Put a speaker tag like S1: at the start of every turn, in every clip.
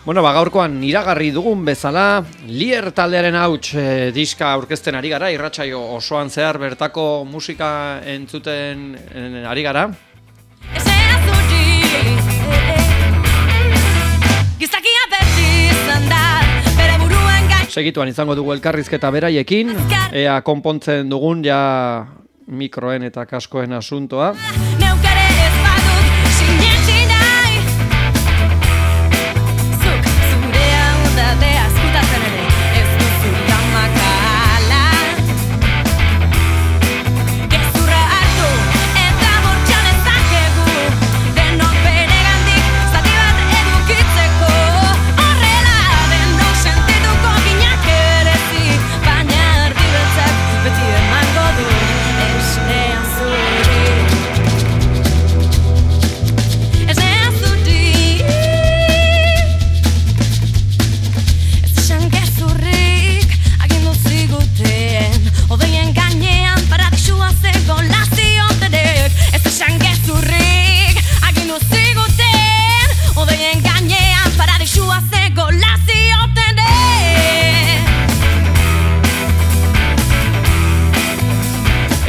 S1: Bueno, gaurkoan iragarri dugun bezala, Lier taldearen hauts diska aurkezten ari gara, irratsaio osoan zehar bertako musika entzuten ari gara. Segituan izango dugu elkarrizketa beraiekin, ea konpontzen dugun ja mikroen eta kaskoen asuntoa.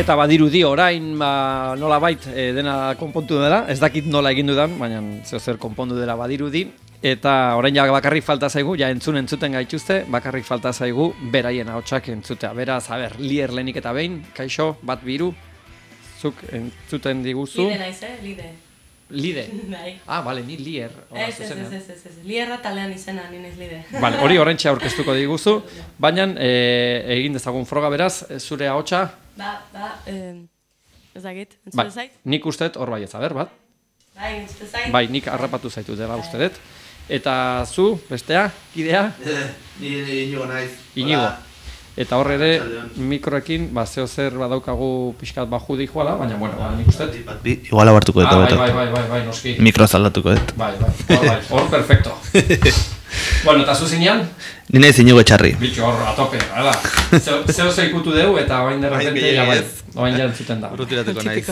S1: Eta badirudi orain nolabait dena konpontu dela, ez dakit nola egin dudan, baina zer konpondu dela badirudi. Eta orain ja bakarrik falta zaigu, ja entzuten gaituzte, bakarrik falta zaigu beraien ahotsak entzutea. Beraz, Lier lehenik eta behin, kaixo, bat biru, zuk entzuten diguzu.
S2: Lide naiz, Lide.
S1: Lide?
S2: Bai.
S1: Bale, ni Lier.
S2: Ez. Lierra talean izena, ni naiz Lide.
S1: Bale, hori horrentxe aurkeztuko diguzu, baina egin dezagun froga beraz, zure ahotsa.
S2: Ez dakit, entzute zait?
S1: Nik usteet hor bai bat.
S2: Bai, entzute zait?
S1: Bai, nik harrapatu zaitu dela uste dut. Eta zu, bestea, kidea?
S3: Ni Inigo naiz.
S1: Inigo. Eta hor ere, mikroekin, zeo zer badaukagu pixkat baju dijoala, baina, bueno, nik usteet.
S3: Igual abartuko dut.
S1: Bai, noski.
S3: Mikro zaldatuko dut.
S1: Bai, hor perfecto. Bueno, eta zu zinean?
S3: Ni naiz Inigo Etxarri.
S1: Bitxo, hor, atope, hala. Zeo zeikutu dugu, eta bain derrepente, bain jantzuten da.
S3: Rutiratuko naiz.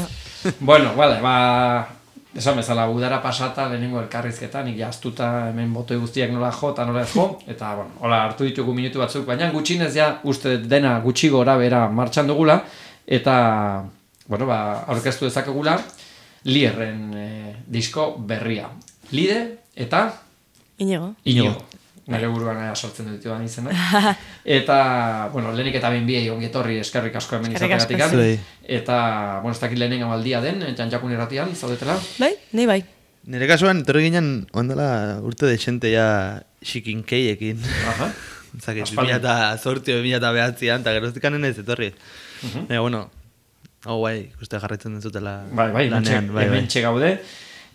S1: Bueno, vale, esan bezala, udara pasata lehenengo elkarrizketa, nik jaztuta hemen botoi guztiak nola jo eta nola ez jo, eta, bueno, hola, hartu ditugu minutu batzuk, baina gutxinez ja, uste dena gutxi gora bera martxan dugula, eta, bueno, aurkeztu dezakegula, Lierren disko berria. Lide eta?
S2: Inigo.
S1: Nire buruan sortzen dut duan izena. Eta, bueno, lehenik eta behin biei ongietorri eskerrik asko hemen izategatik. Eta, bueno, ez dakit lehenen amaldia den, Janjakun irratian, zaudetela?
S2: Bai, ni bai.
S3: Nire kasuan, etorri ginen, ondala urte dexente ja xikinkeiekin. Zake, 2008 o 2009an, eta geroztik anen ez etorri. Bueno, hau bai, uste jarraitzen duzutela lanean.
S1: Hemen txegaude.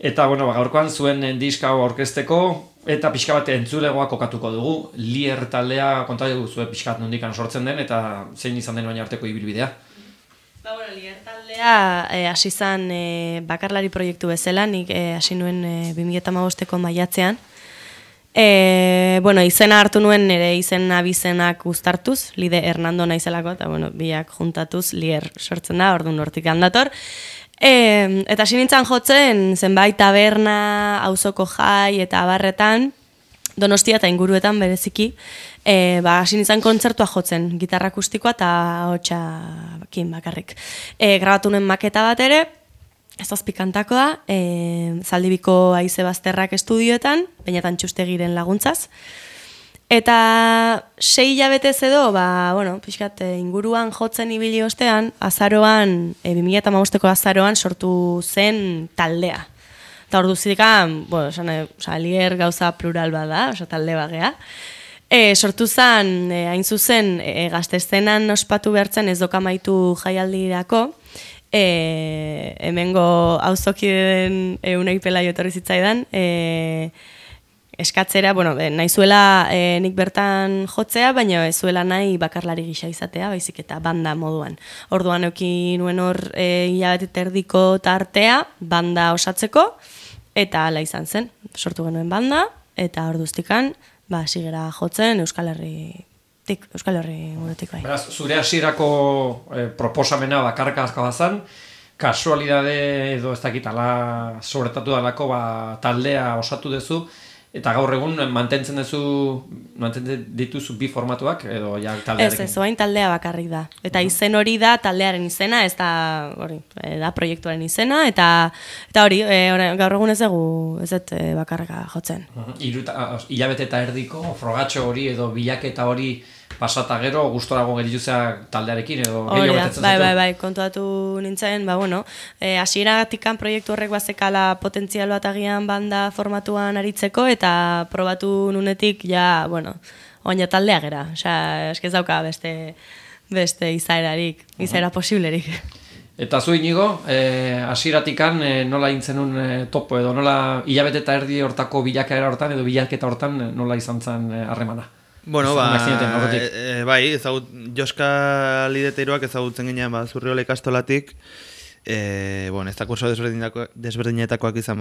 S1: Eta, bueno, gaurkoan zuen diska aurkezteko, eta pixka bat entzulegoa kokatuko dugu. Lier taldea kontatu dugu zuen pixka bat nondikan sortzen den, eta zein izan den baina arteko ibilbidea.
S2: Bueno, Lier taldea hasi zan bakarlari proiektu bezala, nik hasi nuen 2015ko maiatzean. Bueno, izena hartu nuen nire izen abizenak uztartuz, Lide Hernando naizelako, eta bueno, biak juntatuz Lier sortzen da, orduan hortik handator. Eta hasi nintzen jotzen zenbait taberna, auzoko jai eta abarretan, Donostia eta inguruetan bereziki, hasi nintzen kontzertua jotzen, gitarra akustikoa eta ahotsakin bakarrik. Grabatu nuen maketa bat ere, ez azpikantakoa da, Zaldibiko Haize Bazterrak estudioetan, Beñatan Txustegiren laguntzaz. Eta 6 hilabetez edo, bueno, pixkat inguruan jotzen ibili ostean, azaroan, 2015ko azaroan sortu zen taldea. Eta ordu zidekan, bueno, Lier gauza plural bada, talde bagea. Sortu zen, hain zuzen, gazteszenan ospatu behartzen ez dokamaitu jaialdirako, hemengo auzokideen Unai Pelaio etorri zitzaidan, eskatzera, bueno, nahi zuela nik bertan jotzea, baina ez zuela nahi bakarlari gisa izatea, baizik eta banda moduan. Orduan euki nuen hor hilabete erdiko tartea, banda osatzeko, eta hala izan zen. Sortu genuen banda, eta orduztikan, sigera jotzen Euskal Herri guretik bai.
S1: Beraz, zure hasierako proposamena bakarkazka bazan, kasualidade edo ez dakitala sobretatu dalako taldea osatu duzu, Eta gaur egun mantentzen dituzu bi formatuak edo ja taldearekin?
S2: Ez, oain taldea bakarrik da. Eta izen hori da taldearen izena, ez da hori, da proiektuaren izena, eta hori, gaur egun ez dugu ez dut bakarrika jotzen.
S1: Hilabete eta erdiko frogatxo hori edo bilaketa hori pasata gero, gustorago gerituzea taldearekin edo gehiago betetzen zaitu?
S2: Bai, kontuatu nintzen, hasieratikan proiektu horrek bazekala potentzial bat agian banda formatuan aritzeko, eta probatu nunetik, oina taldea gera. Osea, eskez dauka beste izaera posiblerik.
S1: Eta zu Inigo, hasieratikan nola intzenun topo edo nola hilabete eta erdi hortako bilakaera hortan edo bilaketa hortan nola izan zen harremana?
S3: Bueno, bai, Joska Lideteiroak ezagutzen ginean Zurriola ikastolatik, ez da kurso desberdinetakoak izan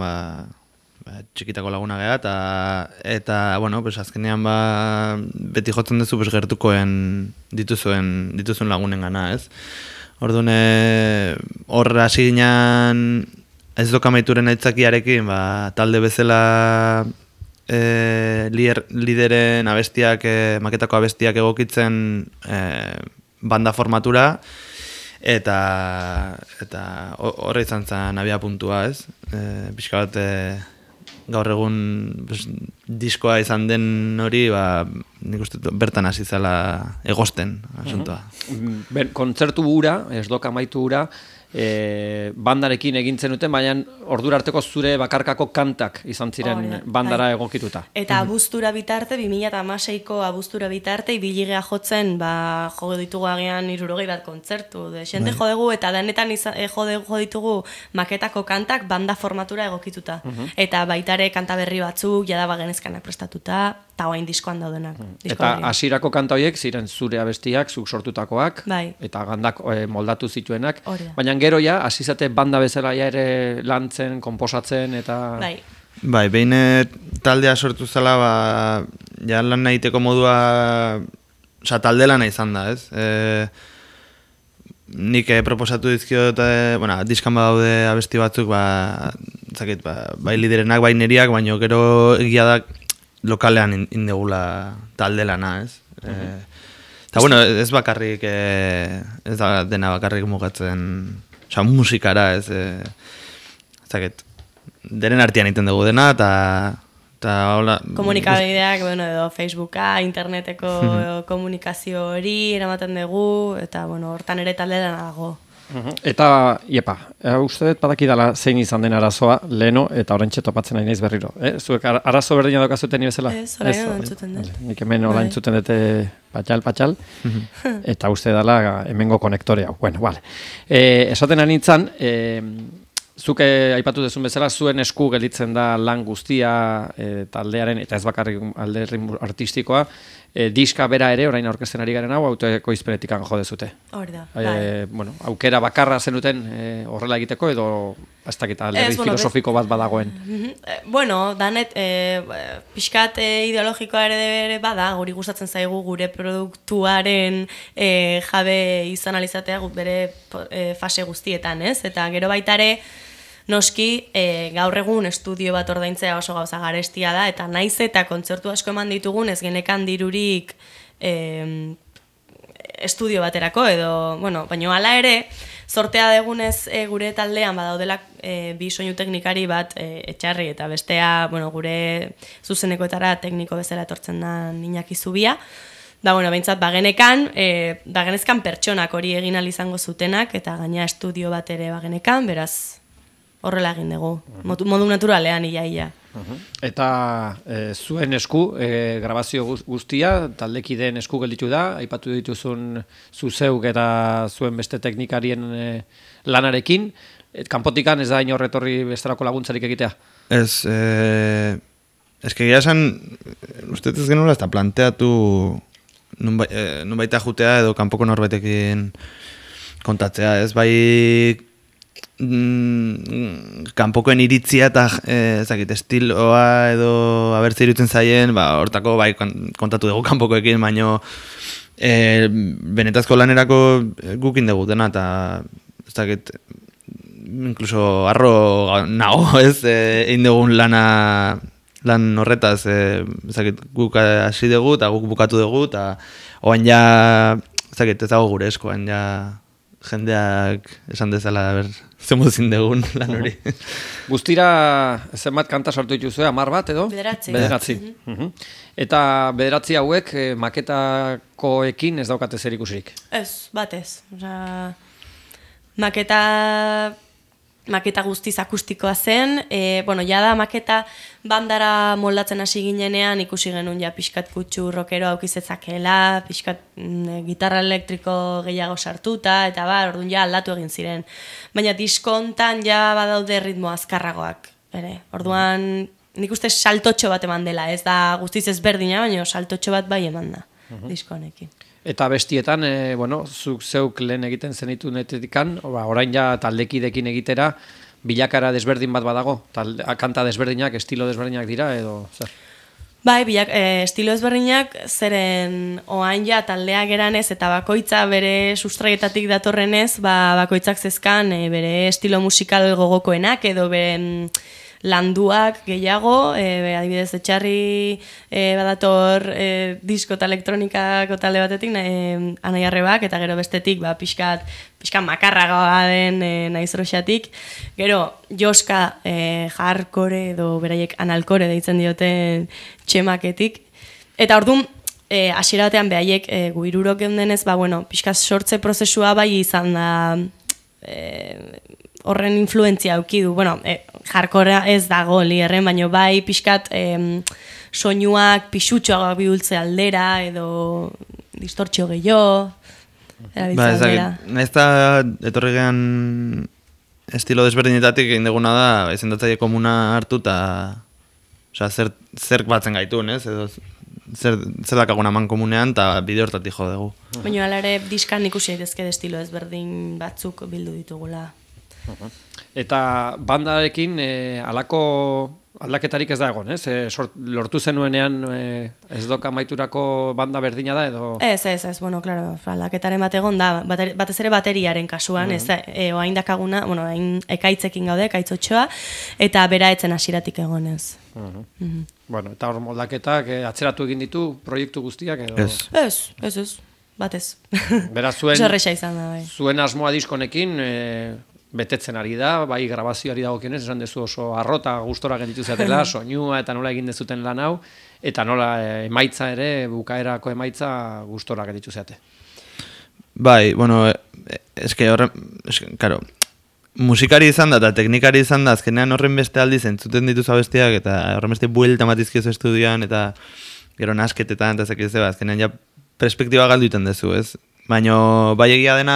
S3: txikitako laguna geha, eta azkenean beti jotzen duzu gertukoen dituzuen lagunen gana, ez? Orduan, hor hasi ginean ez dokamaituren aitzakiarekin, talde bezala lideren abestiak, maketako abestiak egokitzen banda formatura, eta horre izan zen abia puntua, ez? Pixka bat gaur egun diskoa izan den hori, nik uste bertan hasi zela egosten asuntoa.
S1: Kontzertu hura, ez doka amaitu hura, bandarekin egintzen duten, baina ordura arteko zure bakarkako kantak izan ziren bandara egokituta.
S2: Eta abuztura bitarte, 2016ko abuztura bitarte, ibiligea jotzen, jo ditugu agian 60 bat kontzertu. Xente jodegu, eta denetan jo ditugu maketako kantak banda formatura egokituta. Eta baitare kanta berri batzuk, jada bagenezkanak prestatuta, eta oain diskoan daudenak.
S1: Eta hasierako kanta horiek ziren zure abestiak, zuk sortutakoak, eta gandak moldatu zituenak. Baina gero ja, hasi zate banda bezala ere lantzen, konposatzen, eta...
S3: Bai, behin taldea sortu zela, ja lan nahiteko modua, talde lana izan da, ez? Nik proposatu dizkiot, diskan badaude abesti batzuk, bai liderenak, bai neriak, baina gero egia da lokalean indegula talde lana, ez? Eta ez bakarrik, ez da dena bakarrik mugatzen, musikara, ez denen artean iten dugu dena, eta hola...
S2: Komunikabideak, edo Facebooka, interneteko komunikazio hori eramaten dugu, eta hortan ere talde dena dago.
S1: Eta, uste dut badakidala zein izan den arazoa, leheno, eta oraintxe topatzen nahi naiz berriro. Zuek arazo berdina daukazuten bezala?
S2: Ez, orain entzuten dut.
S1: Nik hemen hola entzuten dute patxal, eta uste dela hemengo konektorea. Bueno, vale. Esaten anitzan, zuke aipatu dezun bezala, zuen esku gelditzen da lan guztia taldearen, eta ez bakarrik alderri artistikoa, diska bera ere, orain aurkezten ari garen hau, autoekoizpenetikan jo dezute.
S2: Hori da.
S1: Aukera bakarra zenuten horrela egiteko, edo ez dakit alderri filosofiko bat badagoen?
S2: Danet, pixkat ideologikoa ere bada, guri gustatzen zaigu gure produktuaren jabe izan alizatea bere fase guztietan, ez? Eta gero baitare, noski, gaur egun estudio bat ordaintzea oso gauza garestia da, eta naiz eta kontzertu asko eman ditugun ez genekan dirurik estudio baterako, edo, baina hala ere, sortea degunez gure taldean badaudela bi soinu teknikari bat etxarri, eta bestea, gure zuzenekoetara tekniko bezala etortzen da Iñaki Zubia, behintzat, bagenezkan pertsonak hori egin ahal izango zutenak, eta gaina estudio bat ere bagenekan, beraz, horrela egin dugu, modu naturalean ia.
S1: Eta zuen esku, grabazio guztia, taldekideen esku gelditu da, aipatu dituzun zuzeuk eta zuen beste teknikarien lanarekin, kanpotikan ez da inorretorri bestarako laguntzarik egitea?
S3: Ez, egia esan, uste ez genuela ez da planteatu nun baita jutea edo kanpoko norbetekin kontatzea, ez bai kanpokoen iritzia eta estiloa edo abertze irutzen zaien, hortako bai kontatu dugu kanpokoekin, baino benetazko lanerako gukin dugu dena, eta ez dakit inkluso arro nago, ez, egin dugun lana lan horretaz, ezakit, guk hasi dugu, eta guk bukatu dugu, eta oain ja, ezakit, ez dago gure esko, oain ja jendeak esan dezala, zemuzin dugun lan hori.
S1: Guztira, zenbat kanta sortu dituzue, 10 bat edo?
S2: Bederatzi.
S1: Eta bederatzi hauek maketakoekin ez daukate zer ikusirik?
S2: Ez, batez. Osea, maketa guztiz akustikoa zen, jada maketa bandara moldatzen hasi ginenean ikusi genuen ja pixkat kutsu rockero aukizetzakela, pixkat gitarra elektriko gehiago sartuta, eta orduan ja aldatu egin ziren. Baina diskontan ja badaude ritmo azkarragoak, ere. Orduan nik uste saltotxo bat eman dela, ez da guztiz ezberdina, baina saltotxo bat bai eman da, diskonekin.
S1: Eta bestietan, zuk zeuk lehen egiten zenitu netetikan, orain ja taldekidekin egitera, bilakara desberdin bat badago? Kanta desberdinak, estilo desberdinak dira, edo zer?
S2: Bai, estilo desberdinak, zeren oain ja taldea geranez eta bakoitza bere sustraietatik datorrenez, bakoitzak zezkan bere estilo musikal gogokoenak, edo bere landuak gehiago, adibidez etxarri badator disko eta elektronikako talde batetik, Anai Arrebak, eta gero bestetik pixkat makarragoa den Naiz Roxatik, gero Joska hardcore edo beraiek analkore deitzen dioten Txemaketik, eta orduan hasiera batean behaiek guirurok geundenez, pixkat sortze prozesua bai izan da horren influentzia auki du. Jarkorea ez dago lierren, baina bai pixkat soinuak pixutxoak bihultze aldera, edo distortxio gehiago, erabiltze aldera.
S3: Naiz eta etorri gehan estilo desberdinetatik egin duguna da, izendatzaile komuna hartu, eta zerk batzen gaitun, ez? Edo zer dakaguna man komunean, eta bide hortatik jo dugu.
S2: Baina ala ere diskan ikusi daitezke estilo ezberdin batzuk bildu ditugula.
S1: Eta bandarekin alako aldaketarik ez da egon, ez? Lortu zenuenean ez doka maiturako banda berdina da, edo?
S2: Ez, claro, aldaketaren bat egon da, batez ere bateriaren kasuan, ez oain dakaguna, hain ekaitzekin gaude, ekaitz 8, eta bera etzen hasiratik egonez.
S1: Eta hor moldaketak atzeratu egin ditu proiektu guztiak, edo?
S2: Ez, batez.
S1: Beraz, zuen asmoa diskonekin betetzen ari da, bai grabazioari dagokionez, esan dezu oso arrota gustora gelditu zatela, soinua eta nola egin dezuten lan hau, eta nola emaitza ere, bukaerako emaitza gustora gelditu zate.
S3: Bai, karo, musikari izan da eta teknikari izan da, azkenean horren beste aldiz entzuten dituz abestiak, eta horren beste buelta matizkiozu estudioan, eta gero nasketetan, eta zekizu, azkenean ja perspektiba galdu iten dezu, ez? Baina bai egia dena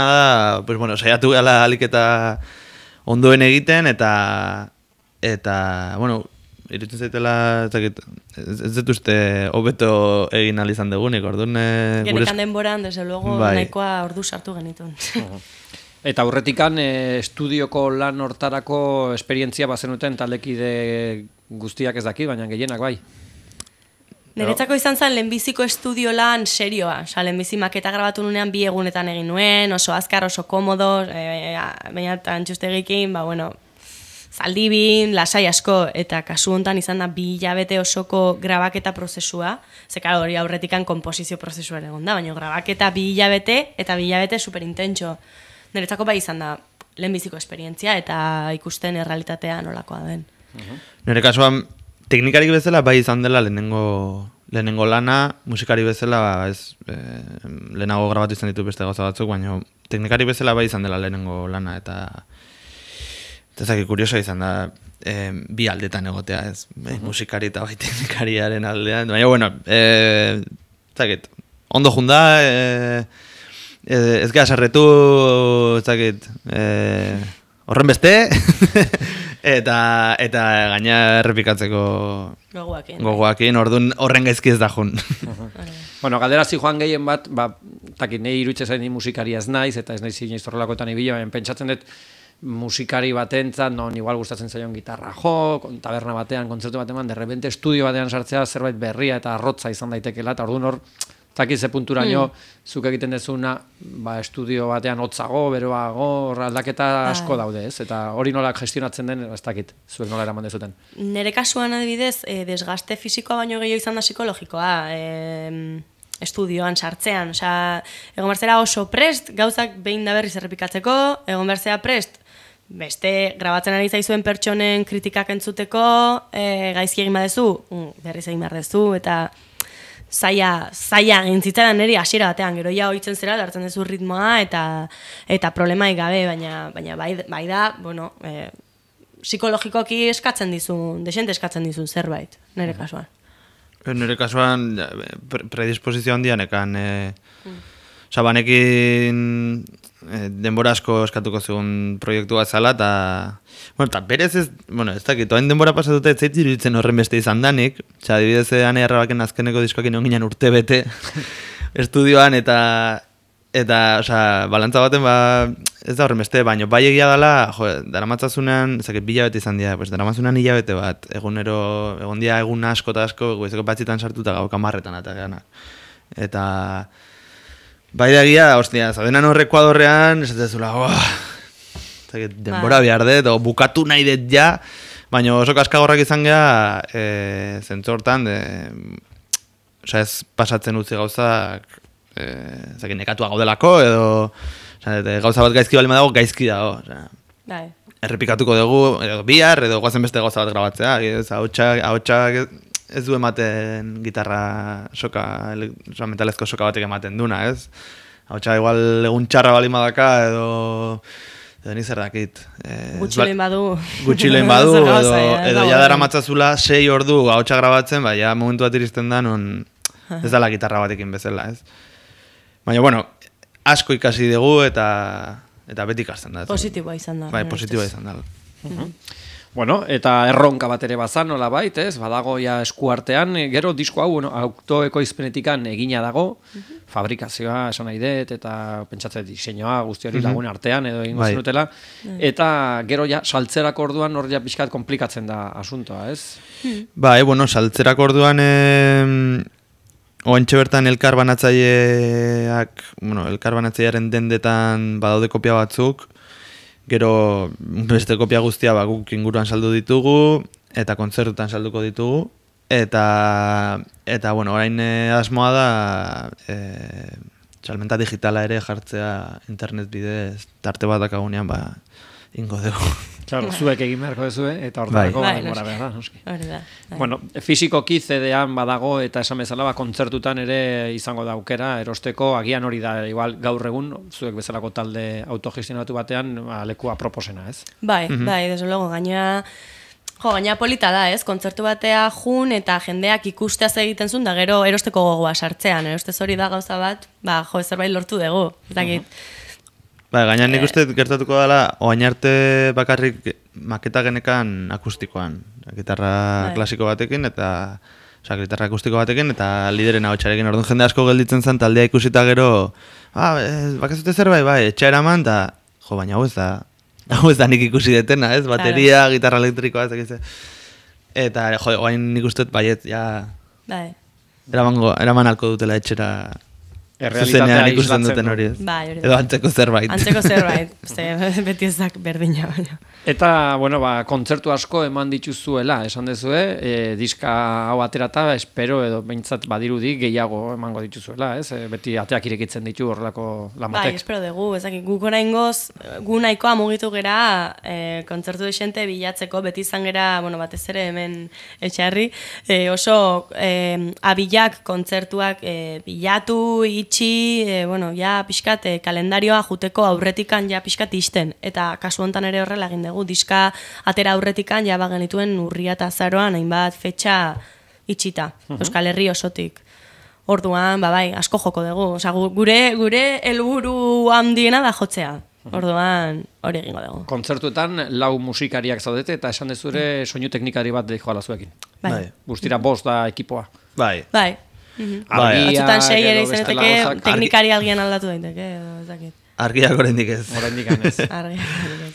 S3: da, saiatu gala alik eta ondoen egiten, eta irutzen zaitela, ez dut uste hobeto egin izan dugunik, orduan...
S2: Genekan denboran, desde luego, nahikoa ordu sartu genitun.
S1: Eta aurretikan estudioko lan hortarako esperientzia bazenuten taldekide guztiak ez daki, baina gehienak bai.
S2: Niretzako izan zen lehenbiziko estudio lan serioa. Lehenbizi maketa grabatu nunean 2 egunetan egin nuen, oso azkar, oso komodo, baina Antxustegikin, zaldibin, lasai asko, eta kasu hontan izan da 2 hilabete osoko grabaketa prozesua, zekar hori aurretikan komposizio prozesua egon da, baina grabaketa 2 hilabete, eta 2 hilabete superintentxo. Niretzako bai izan da lehenbiziko esperientzia, eta ikusten errealitatea nolakoa den.
S3: Nire kasuan, teknikarik bezala bai izan dela lehenengo lana, musikari bezala lehenago grabatu izan ditu beste gauza batzuk, baina teknikari bezala bai izan dela lehenengo lana, eta zaki kurioso izan da bi aldetan egotea, ez, musikari eta bai teknikariaren aldean, baina, zakit, ondo junda, ez gara sarretu, zakit, horren beste, eta gaina errepikatzeko gogoakin, orduan horren gaizki ez da jun.
S1: Galderazi joan gehien bat, nahi iruditzen zain musikari ez naiz, eta ez naiz inoiz horrelakoetan ibila, pentsatzen dut musikari batentzat, non igual gustatzen zaion gitarra jo, taberna batean, kontzertu batean, de repente estudio batean sartzea zerbait berria eta arrotza izan daitekela, eta orduan hor Zaki ze punturaino zuk egiten dezuna, estudio batean hotzago, beroago, aldaketa asko daude, ez? Eta hori nola gestionatzen den, ez dakit, zuek nola eraman dezuten.
S2: Nere kasuan adibidez, desgaste fisikoa baino gehiago izan da psikologikoa, estudioan sartzean, osea, egon berzera oso prest, gauzak behin da berriz errepikatzeko, egon berzera prest, beste grabatzen ari zaizuen pertsonen kritikak entzuteko, gaizki egin badezu, berriz egin behar dezu, eta zaila gintzitzaren niri hasiera batean, gero ja ohitzen zera, hartzen duzu ritmoa, eta problemaik gabe, baina bai da, bueno, psikologikoki eskatzen dizun, desente eskatzen dizun zerbait, nire kasuan.
S3: Nire kasuan predisposizio handian ekan, banekin denbora asko eskatuko zigun proiektu bat zala, eta berez ez dakit, oain denbora pasatuta ez zait iruditzen horren beste izan danik, adibidez Ane Arrabaken azkeneko diskoakin egon ginen urte bete estudioan, eta balantza baten ez da horren beste, baina bai egia dela, daramatzazunean, ezakit bilabete izan dira, daramatzunean hilabete bat, egon dira egun asko eta asko, goizeko batzitan sartuta gau kamarretan eta gana. Eta bai da egia, ostia, zabenan horre Ekuadorrean, esatezula, denbora behar dut, o bukatu nahi dut ja, baina oso kaskagorrak izan geha, zentzortan, ez pasatzen utzi gauzak, nekatuak gaudelako, edo gauza bat gaizki balima dago, gaizki dago. Errepikatuko dugu, edo bihar, edo guazen beste gauza bat grabatzea, ahotsak ez du ematen gitarra metalezko soka batek ematen duna, ez? Ahotsa igual egun txarra balima daka, edo nizer dakit.
S2: Gutxilein badu.
S3: Gutxilein badu, edo jadara matzazula 6 ordu ahotsa grabatzen, ja momentu bat iristen da, non ez dala gitarra batekin bezala, ez? Baina, bueno, asko ikasi dugu eta beti ikasten da.
S2: Positiboa izan da.
S3: Bai, positiboa izan da.
S1: Bueno, eta erronka bat ere bazan, nola bait, ez? Badago ja eskuartean, gero disko hau, autoekoizpenetikan egina dago, fabrikazioa esan nahi dut, eta pentsatzen diseinua guzti hori lagun artean edo egingo zenutela, eta gero ja saltzerako orduan hor ja pixkat komplikatzen da asuntoa, ez?
S3: Bai, bueno, saltzerako orduan oentxe bertan elkarbanatzaileak, elkarbanatzailearen dendetan badaude kopia batzuk, gero beste kopia guztia guk inguruan saldu ditugu, eta kontzertutan salduko ditugu, eta bueno, orain asmoa da salmenta digitala ere jartzea internet bidez, tarte bat dakagunean, ingo dugu.
S1: Claro, zuek egin beharko duzu, eta hortarako denbora behar da, noski. Bueno, fisikoki CD-an badago, eta esan bezala, kontzertutan ere izango da aukera, erosteko, agian hori da, igual gaur egun, zuek bezalako talde autogestionatu batean, lekua proposena, ez?
S2: Bai, desde luego, gaina polita da, ez? Kontzertu batea jun eta jendeak ikusteaz egiten zuen, da gero erosteko gogoa sartzean, erostez hori da gauza bat, zerbait lortu dugu, ez dakit.
S3: Gaina nik uste gertatuko dela, oain arte bakarrik maketa genekan akustikoan. Gitarra klasiko batekin eta gitarra akustiko batekin eta lideren ahotsarekin. Orduan jende asko gelditzen zen taldea ikusita gero, bakazute zerbait, etxa eraman, eta baina hau ez da nik ikusi detena, ez? Bateria, gitarra elektrikoa, ez. Eta, oain nik uste baiet, eraman alko dutela etxera. Zuzenean ikusten duten hori ez. Edo antzeko zerbait.
S2: Antzeko zerbait. Beti ezak berdina.
S1: Eta, bueno, kontzertu asko eman dituzuela, esan dezue, diska hau aterata, espero edo behintzat badirudi gehiago emango dituzuela, ez? Beti ateak irekitzen ditu horrelako lan batek.
S2: Bai, espero dugu, ezakik, guk oraingoz, gu nahikoa mugitu gera, kontzertu desente bilatzeko, beti izan gera, bueno, batez ere hemen etxarri, oso abilak kontzertuak bilatu, itxi, bueno, ja pixkat kalendarioa juteko aurretikan ja pixkat isten, eta kasu hontan ere horrela egin dugu, diska atera aurretikan ja bagenituen urria eta azaroan hainbat fetxa itxita, Euskal Herri osotik. Orduan, asko joko dugu, osea, gure helburu handiena da jotzea. Orduan, hori egingo dugu.
S1: Kontzertuetan 4 musikariak zaudete eta esan dezure soinu teknikari bat joala zuekin.
S2: Bai.
S1: Guztira 5 da ekipoa.
S3: Bai.
S2: Batzutan 6 ere izeneteke, teknikari alguien aldatu daiteke, edo ezakit.
S3: Argiak oraindik ez.
S1: Oraindik ez.
S2: Argiak ez.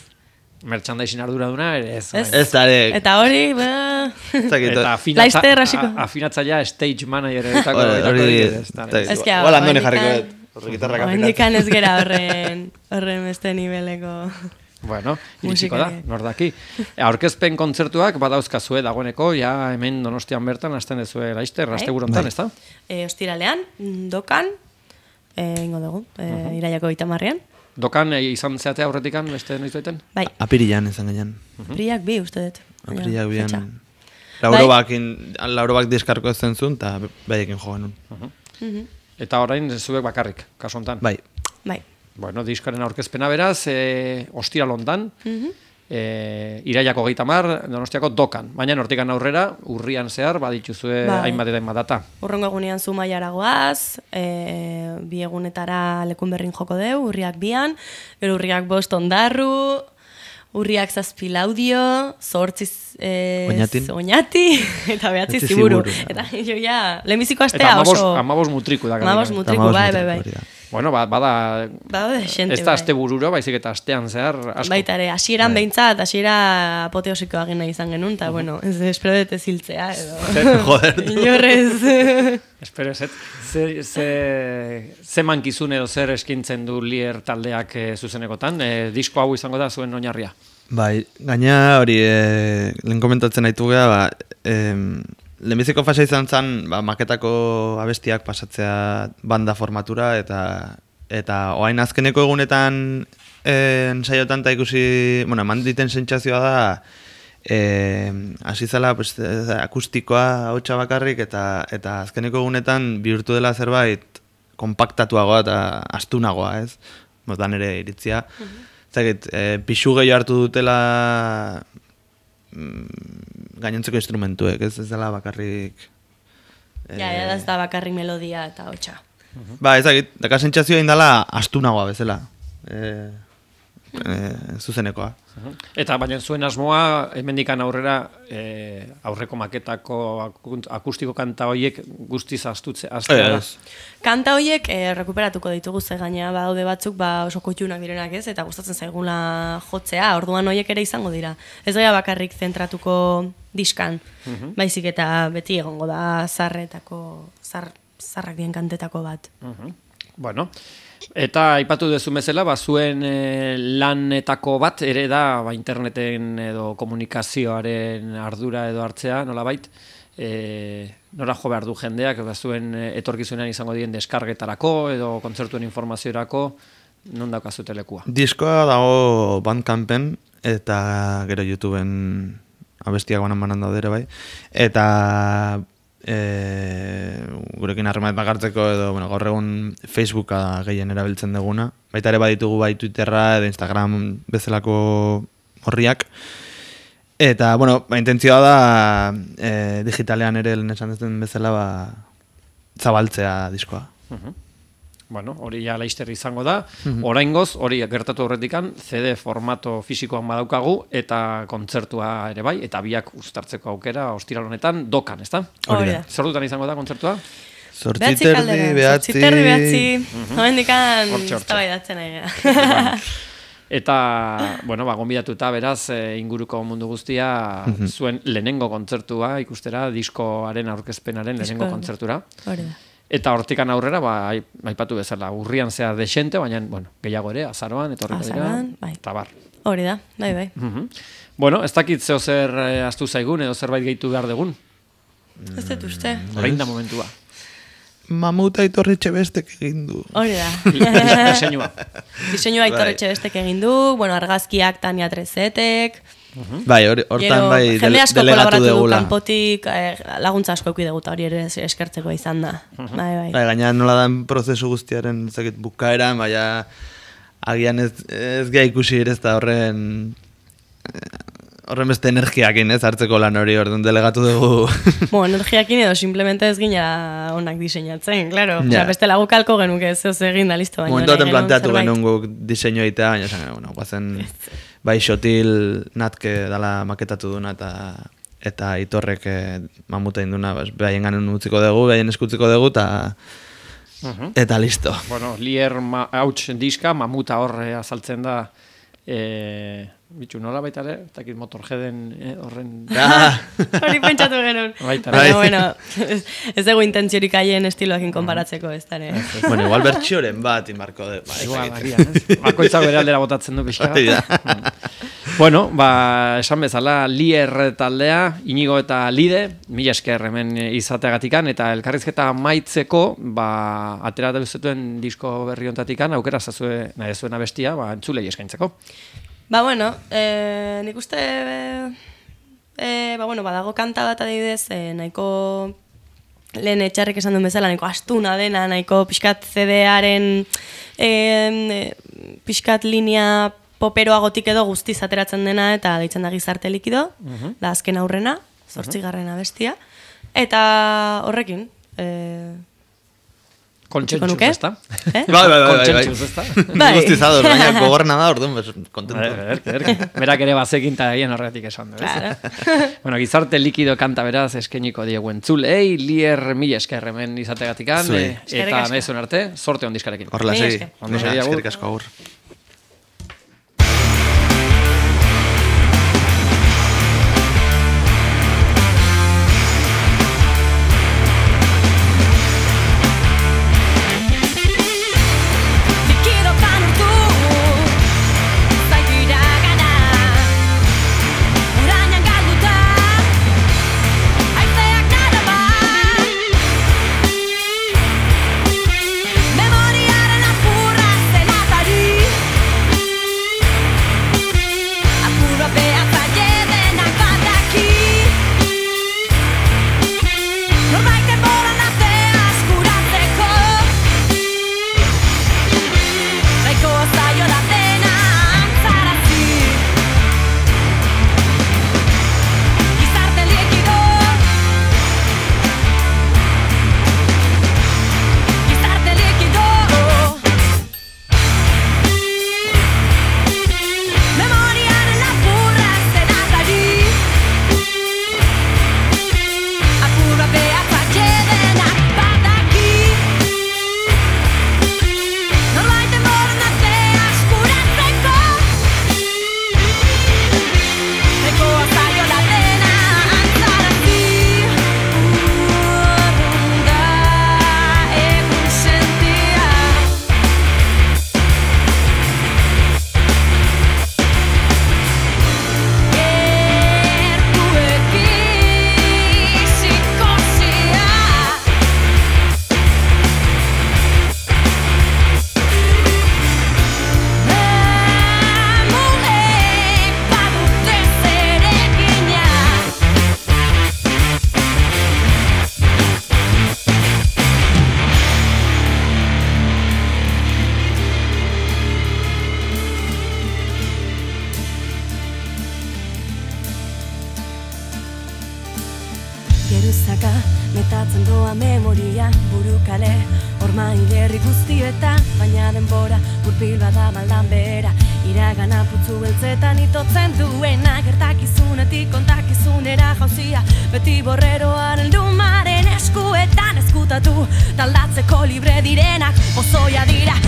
S1: Merchandising arduraduna ere ez.
S3: Ez da ere.
S2: Eta hori,
S1: Eta
S2: Laizter hasiko.
S1: afinatzailea stage manageretako.
S3: Igual andoni jarriko dut.
S2: Horrendikan ez gera horren beste niveleko...
S1: Bueno, iritsiko da, nordaki. Aurkezpen kontzertuak badauzkazue dagoeneko, ja hemen Donostian bertan hasten dezue Laizter, asteburu hontan, ezta?
S2: Ostiralean, dokan, ingo dugu, iraiako 30ean.
S1: Dokan izan zeatea aurretikan beste noiz baiten?
S2: Bai.
S3: Apirilan izan gainean.
S2: Apiriak bi, uste dut.
S3: Apiriak bian. Laurobak diskarko ez zentzun, eta baiekin joan nun.
S1: Eta orain zuek bakarrik, kasu hontan?
S3: Bai.
S1: Bueno, diskaren aurkezpena beraz, ostiral hontan, iraiako 30 Donostiako dokan. Baina hortikan aurrera, urrian zehar, badituzue hainbat eta hainbat data.
S2: Urrengo egunean Zumaiara goaz, 2 egunetara Lekun Berrin joko deu, urriak 2, gero urriak 5 Ondarru, urriak 7 Laudio, 8 Oñati, eta 9 Ziburu. Eta jo ja, lehenbiziko astea oso...
S1: Eta 15 mutriku da.
S2: 15 mutriku, bai.
S1: Bueno, bada ez da aste bururo, baizik eta astean zehar asko.
S2: Baita ere, hasieran behintzat, hasiera apoteosikoa gena izan genuen, eta bueno, espero dut ez hiltzea, edo...
S3: Joder.
S2: Inorrez...
S1: Espero ez, ze mankizun edo zer eskintzen du Lier taldeak zuzenekotan, disko hau izango da zuen oinarria?
S3: Bai, gaina hori, lehen komentatzen haitu geha, lehenbiziko fase izan zen, maketako abestiak pasatzea banda formatura, eta oain azkeneko egunetan ensaiotan eta ikusi, bueno, eman diten sentsazioa da, hasi zela akustikoa hautsa bakarrik, eta azkeneko egunetan bihurtu dela zerbait kompaktatuagoa eta astunagoa, ez? Motan ere iritzia. Zagit, pixu gehiago hartu dutela gainontzeko instrumentuek, ez dela bakarrik...
S2: Ja, ez da bakarrik melodia eta hotxa.
S3: Ba, ezagit, daka sentsazioa indala astunagoa bezala. Zuzenekoa.
S1: Eta baina zuen asmoa, hemendikan aurrera, aurreko maketako akustiko kanta horiek guztiz astea da.
S2: Kanta horiek rekuperatuko ditugu ze gaina badaude batzuk oso koitunak direnak ez, eta gustatzen zaigula jotzea, orduan horiek ere izango dira. Ez gara bakarrik zentratuko diskan, baizik eta beti egongo da zarrak dien kantetako bat.
S1: Bueno, eta aipatu duzu bezala, zuen lanetako bat ere da interneten edo komunikazioaren ardura edo hartzea, nolabait, nora jo behar du jendeak, zuen etorkizunean izango dien deskargetarako edo kontzertuen informaziorako, non daukazute lekua?
S3: Diskoa dago Bandcampen eta gero YouTubeen abestiak banan daudere bai, eta gurekin harremanet bakartzeko edo gaur egun Facebooka gehien erabiltzen duguna. Baita ere baditugu bai Twitterra edo Instagram bezalako horriak. Eta, intentzioa da digitalean ere lehen esan duten bezala zabaltzea diskoa.
S1: Bueno, hori ja Laizter izango da. Oraingoz, hori gertatu horretikan, CD formato fisikoan badaukagu eta kontzertua ere bai, eta biak uztartzeko aukera ostiral honetan dokan, ezta?
S2: Hori da.
S1: Zer dutan izango da kontzertua?
S3: 8:30,
S2: 9:00. Hoendikan eztabaidatzen ari gara.
S1: Eta, gonbidatuta beraz, inguruko mundu guztia, zuen lehenengo kontzertua ikustera, diskoaren aurkezpenaren lehenengo kontzertura.
S2: Hori da.
S1: Eta hortikan aurrera, aipatu bezala, urrian zehar desente, baina, gehiago ere, azaroan, etorriko dira, eta bar.
S2: Hori da, bai.
S1: Bueno, ez dakit zeo zer astu zaigun, edo zerbait gehitu behar dugun.
S2: Ez dut uste.
S1: Orain da momentua.
S3: Mamuta Aitor Etxebestek egin du.
S2: Hori da.
S1: Diseinua.
S2: Diseinua Aitor Etxebestek egin du, argazkiak Tania Trezetek...
S3: Bai, hortan bai delegatu degula.
S2: Kanpotik laguntza asko eki dugu, hori ere eskertzeko izan da. Bai.
S3: Gaina nola dan prozesu guztiaren bukaeran, baina agian ez geha ikusi ere ez da horren beste energiakin ez hartzeko lan hori orduan delegatu dugu.
S2: Energiakin edo simplemente ez gina onak diseinatzen, claro. Beste lagukalko genuke ez egin da listo.
S3: Momentu baten planteatu genuen guk diseinu egitea, baina esan, guazen bai Xotil Natke dala maketatu duna eta Aitorrek mamuta induna, behaien ganen utziko dugu, behaien eskutziko dugu, eta listo.
S1: Lier hauts diska, mamuta horre azaltzen da Bitxu, nola baita ere, eta kit motorjeden horren...
S2: Hori pentsatu genuen. Bueno, ez dugu intentziorik haien estiloakin konparatzeko, ez da, ne?
S3: Bueno, igual bertxioren bat inmarko de...
S1: Igual, bakoitzak bere aldera botatzen du pixka. Bueno, esan bezala, Lier taldea, Inigo eta Lide, mila esker hemen izateagatikan, eta elkarrizketa maitzeko, ateratu zetuen disko berri ontatikan, aukera zazue nahi zuen abestia, entzulei eskaintzeko.
S2: Bueno, nik uste, badago kanta bat adibidez, nahiko lehen Etxarrek esan duen bezala, nahiko astuna dena, nahiko pixkat CD-aren pixkat linea poperoagotik edo guztiz ateratzen dena, eta deitzen da Gizarte Likido, da azken aurrena, 8. abestia, eta horrekin,
S1: Kontsentxuz, ezta?
S3: Kontsentxuz, ezta? Guztizador, baina gogorna da, orduan, kontento.
S1: Berak ere bazekin eta egin horretik esan du, Bueno, Gizarte Likido kanta beraz eskeniko diegu entzulei, Lier mila esker hemen izategatikan, eta nahi zuen arte, sorte ondizkarekin.
S3: Horrela, segi. Eskerrik asko agur.
S4: Geruzaka metatzen doa memoria burukale Horma hilerri guztietan, baina denbora Gurpil bada maldan behera Iragana putzu beltzetan itotzen duena Gertakizunetik kontakizunera jauzia Beti borreroaren lumaren eskuetan eskutatu Taldatzeko libre direnak, pozoia dira